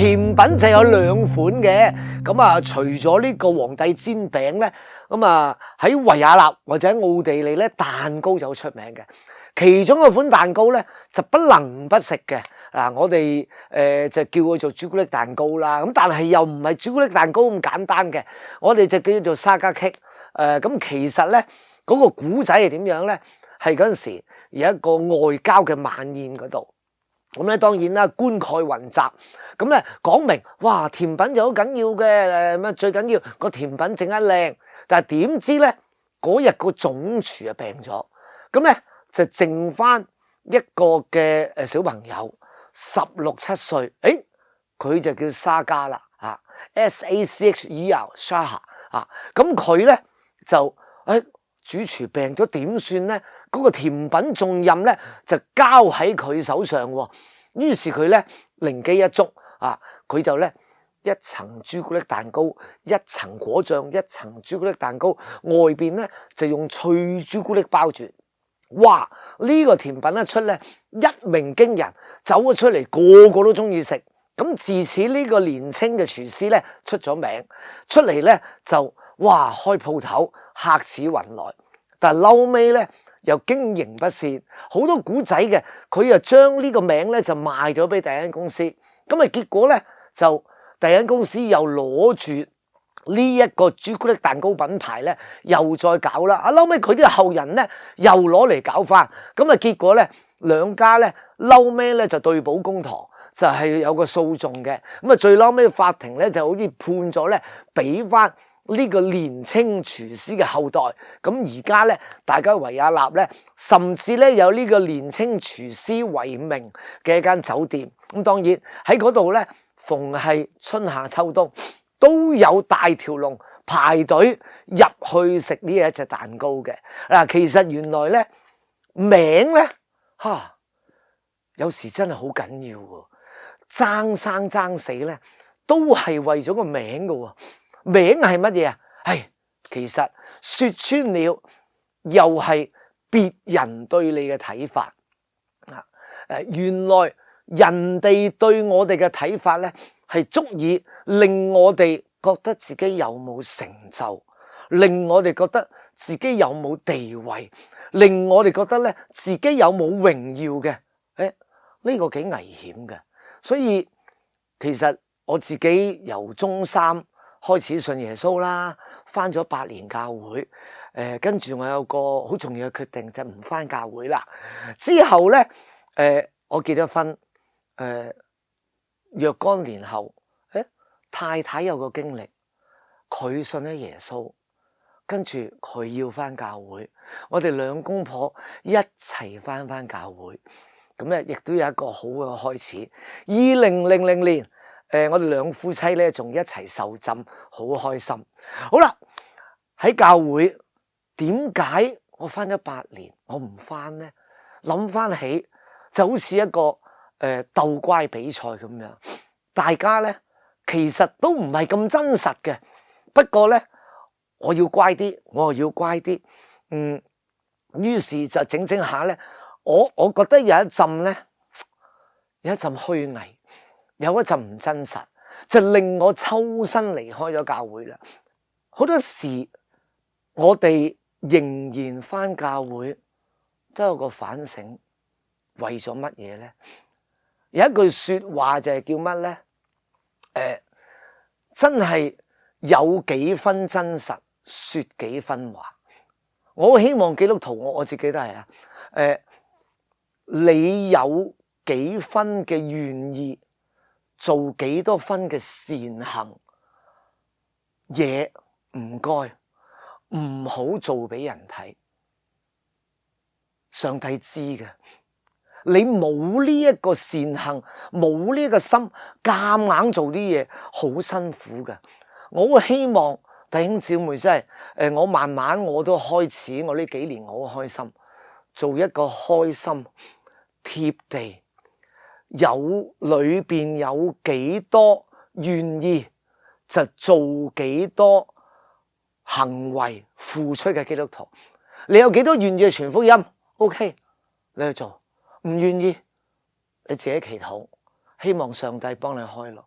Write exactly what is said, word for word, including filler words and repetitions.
甜品就有兩款嘅，咁啊除咗呢個皇帝煎餅咧，咁啊喺維也納或者奧地利咧，蛋糕就好出名嘅。其中一款蛋糕咧就不能不食嘅，嗱我哋誒就叫佢做朱古力蛋糕啦。咁但係又唔係朱古力蛋糕咁簡單嘅，我哋就叫做沙加棘。誒咁其實咧嗰個古仔係點樣咧？係嗰陣時有一個外交嘅晚宴嗰度。咁咧當然啦，冠蓋雲集，咁咧講明，哇甜品就好緊要嘅，誒乜最緊要個甜品整得靚，但係點知咧嗰日個總廚啊病咗，咁咧就剩翻一個嘅誒小朋友十六七歲，誒佢就叫沙加啦，啊 S A C H E R 沙夏啊，咁佢咧就誒主廚病咗點算咧？嗰個甜品重任咧就交喺佢手上喎，於是佢咧靈機一觸啊，佢就咧一層朱古力蛋糕，一層果醬，一層朱古力蛋糕，外邊咧就用脆朱古力包住。哇！呢個甜品一出咧一鳴驚人，走咗出嚟個個都中意食。咁自此呢個年青嘅廚師咧出咗名，出嚟咧就哇開鋪頭客似雲來，但係嬲尾咧又經營不善，好多古仔嘅，佢又將呢個名咧就賣咗俾第一間公司，咁啊結果咧就第一間公司又攞住呢一個朱古力蛋糕品牌咧，又再搞啦，啊嬲尾佢啲後人咧又攞嚟搞翻，咁啊結果咧兩家咧嬲尾咧就對簿公堂，就係有個訴訟嘅，咁啊最嬲尾法庭咧就好似判咗咧俾翻呢個年青廚師嘅後代，咁而家咧，大家維也納咧，甚至咧有呢個年青廚師為名嘅一間酒店。咁當然喺嗰度咧，逢係春夏秋冬都有大條龍排隊入去食呢一隻蛋糕嘅。嗱，其實原來咧名咧嚇，有時真係好緊要喎，爭生爭死咧都係為咗個名㗎喎。名係乜嘢啊？係其實說穿了，又係別人對你嘅睇法啊！誒，原來人哋對我哋嘅睇法咧，係足以令我哋覺得自己有冇成就，令我哋覺得自己有冇地位，令我哋覺得咧自己有冇榮耀嘅。誒，呢個幾危險嘅。所以其實我自己由中三開始信耶穌啦，返咗八年教會，誒跟住我有個好重要嘅決定，就唔返教會啦。之後咧，誒、呃、我結咗婚，誒、呃、若干年後，誒太太有個經歷，佢信咗耶穌，跟住佢要返教會，我哋兩公婆一齊返返教會，咁咧亦都有一個好嘅開始。二零零零年。誒、呃，我哋兩夫妻咧，仲一齊受浸，好開心。好啦，喺教會點解我返咗八年，我唔返咧？諗返起就好似一個誒、呃、鬥乖比賽咁樣，大家咧其實都唔係咁真實嘅。不過咧，我要乖啲，我又要乖啲。嗯，於是就整整下咧，我我覺得有一陣咧，有一陣虛偽。有一陣唔真實，就令我抽身離開咗教會啦。好多時我哋仍然返教會，都有個反省，為咗乜嘢咧？有一句說話就係叫乜咧？誒、呃，真係有幾分真實，說幾分話。我好希望基督徒，我我自己都係啊。誒、呃，你有幾分嘅願意？做幾多分嘅善行嘢，唔該，唔好做俾人睇。上帝知嘅，你冇呢一個善行，冇呢一個心，夾硬做啲嘢，好辛苦嘅。我好希望弟兄姊妹真係，誒，我慢慢我都開始，我呢幾年我好開心，做一個開心貼地。有裏邊有幾多願意就做幾多行為付出嘅基督徒，你有幾多願意傳福音 ？OK， 你去做，唔願意你自己祈禱，希望上帝幫你開路。